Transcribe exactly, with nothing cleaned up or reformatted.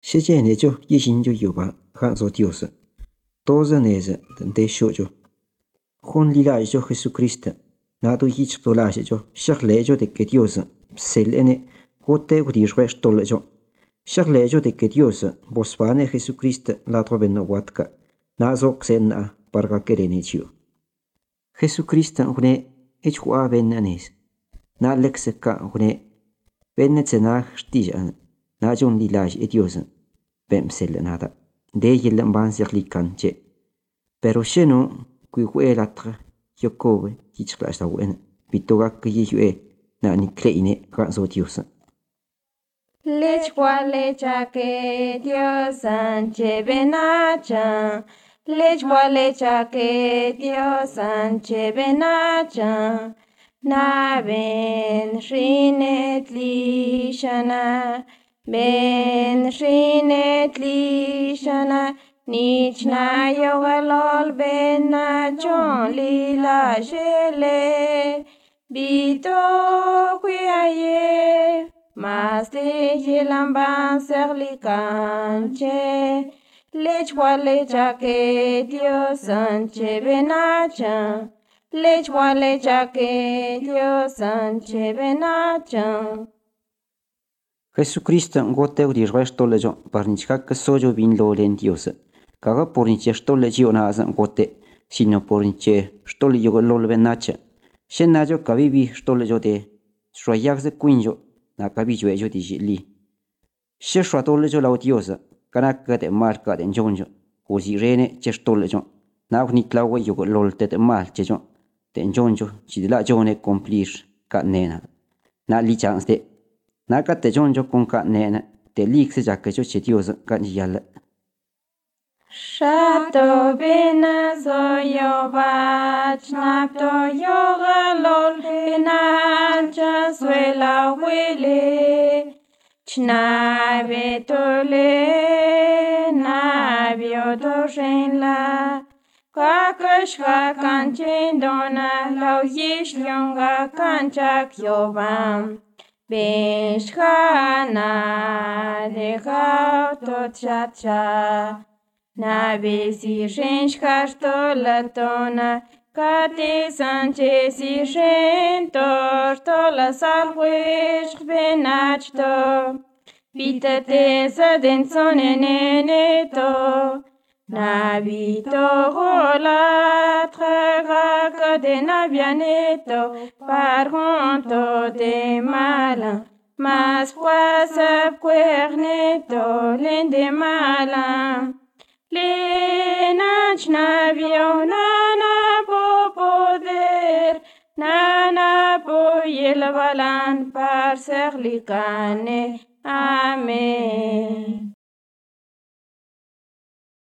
Shechenecho yishinjo yoba hanzo Dios. Toza neze de shojo. Hon lilajo Jesucristo. Nado yich tolajo. Shaklejo de que Dios selene gote udishresh tolejo. Shaklejo de que Dios bosvane Jesucristo la trobeno watka. Nazo xena parga kerenechio. Jesucristo hune echua venanes. Na lexeka hune venetsenag stijan. Najon lilaj e Dios. Bem selenada. De yelan ban serlikanche. Pero sheno kui huelatra yokowe yichklasta wen. Bitoga kiyue na ni kleine ganzo Dios. Lech lecha que Dios anche benacha. Lech lecha que Dios anche benacha. Na ben rinet lishana. Ben rinet lishana. Nich na yogalol ben na chon lila jele. Bito kuyaye. Mas de yelamban serlicanche. Lechwa lecha que Dios anche benacha. Lechwa lecha que Dios anche benacha. Jesucristo ngote udi resto lejo parnichka que sojo vin lo len Dios. Kaga porniche sto legio na azan ngote sino porniche sto le yogo lo benacha. Shenajo kabibi sto lejo de shwayak ze quinjo na kabijo ejo di jili. She shwato lejo la Dios kana ka de marka de jonjo. Usi rene che sto lejo. Na ni klawe yogo lol te mal chejo. De jonjo ci la jone complir ka nena. Na li chance de Naka te jonjo con ka nena te likse jakajo che Dios ka yalla. Shato bena zoyo bach napto yoga lol bena chasuela wele chna betole na bioto shenla Kakash kanchin dona lau yish lyonga kanchak yobam Beshkana de gauto chacha na besi shenshkarto latona kate sanche si shentor tola salwish benachto bitate sadensone neneto na bito gola traga de nabianeto par honto de mala mas fuasa cuerneto lende mala lenach nabio nana po poder nana po yelvalan par serlicane amen.